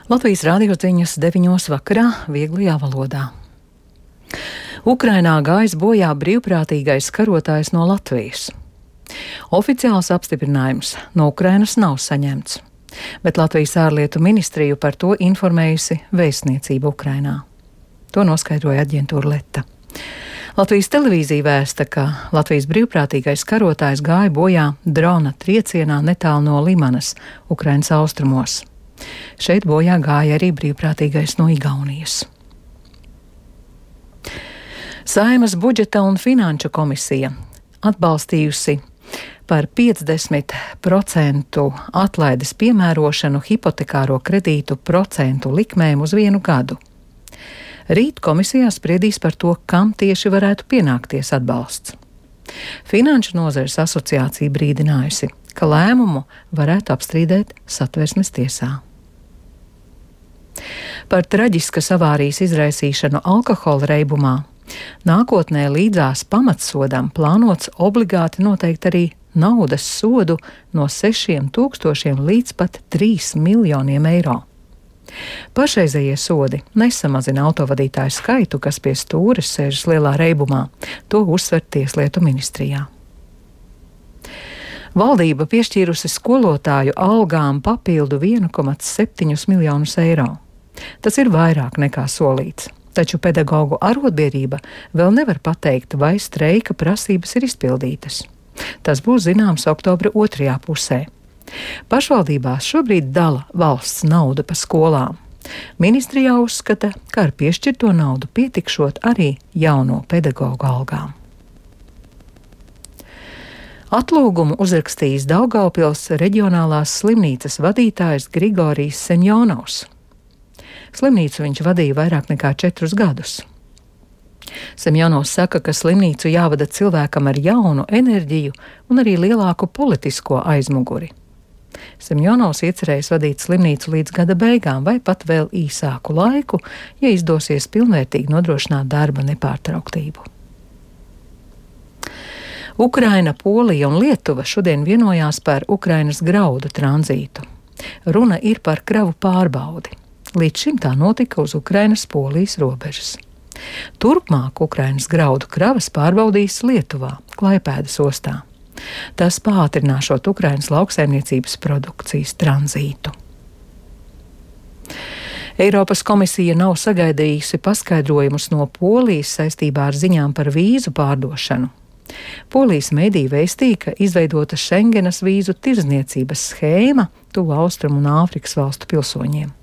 Latvijas radio ziņas 9 vakarā vieglajā valodā. Ukrainā gājis bojā brīvprātīgais karotājs no Latvijas. Oficiāls apstiprinājums no Ukrainas nav saņemts, bet Latvijas ārlietu ministriju par to informējusi vēstniecība Ukrainā. To noskaidroja aģentūra Leta. Latvijas televīzija vēsta, ka Latvijas brīvprātīgais karotājs gāja bojā drona triecienā netālu no Limanas, Ukrainas austrumos. Šeit bojā gāja arī brīvprātīgais no Igaunijas. Saeimas budžeta un finanšu komisija atbalstījusi par 50% atlaides piemērošanu hipotekāro kredītu procentu likmēm uz 1 gadu. Rīt komisijā spriedīs par to, kam tieši varētu pienākties atbalsts. Finanšu nozares asociācija brīdinājusi, ka lēmumu varētu apstrīdēt Satversmes tiesā. Par traģiskas avārijas izraisīšanu alkohola reibumā nākotnē līdzās pamatsodam plānots obligāti noteikt arī naudas sodu no 6,000 līdz pat 3 miljoniem eiro. Pašreizējie sodi nesamazina autovadītāju skaitu, kas pie stūres sēžas lielā reibumā. To uzsver Tieslietu ministrijā. Valdība piešķīrusi skolotāju algām papildu 1,7 miljonus eiro. Tas ir vairāk nekā solīts, taču pedagoģu arotbiedrība vēl nevar pateikt, vai streika prasības ir izpildītas. Tas būs zināms oktobra 2. pusē. Pašvaldībās šobrīd dala valsts naudu pa skolām. Ministrijā uzskata, ka ar piešķirto naudu pietikšot arī jauno pedagoģu algām. Atlūgumu uzrakstījis Daugavpils reģionālās slimnīcas vadītājs Grigorijs Semjonovs. Slimnīcu viņš vadīja vairāk nekā 4 gadus. Semjonovs saka, ka slimnīcu jāvada cilvēkam ar jaunu enerģiju un arī lielāku politisko aizmuguri. Semjonovs iecerējis vadīt slimnīcu līdz gada beigām vai pat vēl īsāku laiku, ja izdosies pilnvērtīgi nodrošināt darba nepārtrauktību. Ukraina, Polija un Lietuva šodien vienojās par Ukrainas graudu tranzītu. Runa ir par kravu pārbaudi. Līdz šim tā notika uz Ukrainas-Polijas robežas. Turpmāk Ukrainas graudu kravas pārbaudīs Lietuvā, Klaipēdas ostā. Tas pātrināšot Ukrainas lauksaimniecības produkcijas tranzītu. Eiropas komisija nav sagaidījusi paskaidrojumus no Polijas saistībā ar ziņām par vīzu pārdošanu. Polijas mediji vēstīja, ka izveidota Šengenas vīzu tirdzniecības schēma tuvu Austrumu un Āfrikas valstu pilsoņiem.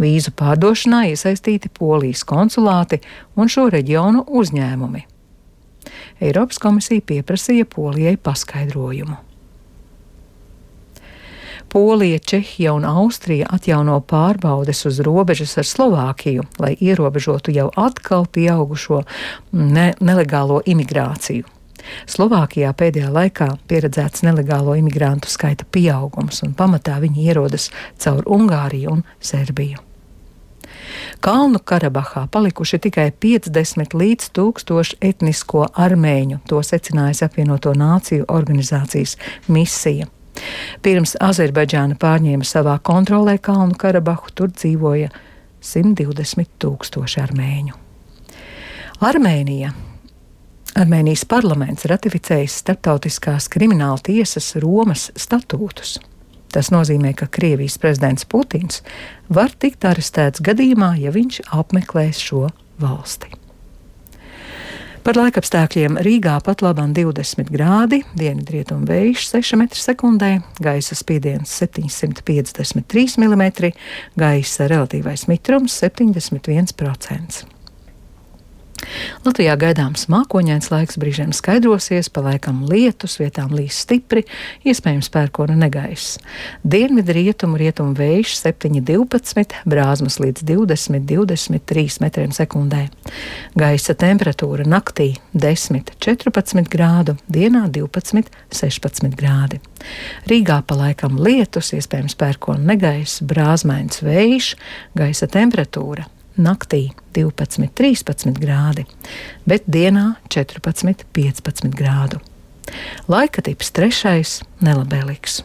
Vīzu pārdošanā iesaistīti Polijas konsulāti un šo reģionu uzņēmumi. Eiropas komisija pieprasīja Polijai paskaidrojumu. Polija, Čehija un Austrija atjauno pārbaudes uz robežas ar Slovākiju, lai ierobežotu jau atkal pieaugušo nelegālo imigrāciju. Slovākijā pēdējā laikā pieredzēts nelegālo imigrantu skaita pieaugums, un pamatā viņi ierodas caur Ungāriju un Serbiju. Kalnu Karabahā palikuši tikai 50 līdz 1000 etnisko armēņu, to secinājas Apvienoto Nāciju organizācijas misija. Pirms Azerbaidžāna pārņēma savā kontrolē Kalnu Karabahu, tur dzīvoja 120 000 armēņu. Armēnijas parlaments ratificējis Starptautiskās krimināla tiesas Romas statūtus. Tas nozīmē, ka Krievijas prezidents Putins var tikt arestēts gadījumā, ja viņš apmeklēs šo valsti. Par laikapstākļiem Rīgā pat labam 20 grādi, dienvidrietumu vējš 6 m/sekundē, gaisa spiediens 753 mm, gaisa relatīvais mitrums 71%. Latvijā gaidāms mākoņains laiks, brīžiem skaidrosies, pa laikam lietus, vietām līs stipri, iespējams pērkona negaiss. Dienvidrietumu vējš 7–12, brāzmas līdz 20–23 m/sekundē. Gaisa temperatūra naktī 10–14 grādu, dienā 12–16 grādi. Rīgā pa laikam lietus, iespējams pērkona negaiss, brāzmains vējš, gaisa temperatūra naktī 12–13 grādi, bet dienā 14–15 grādu. Laika tips 3. nelabēlīgs.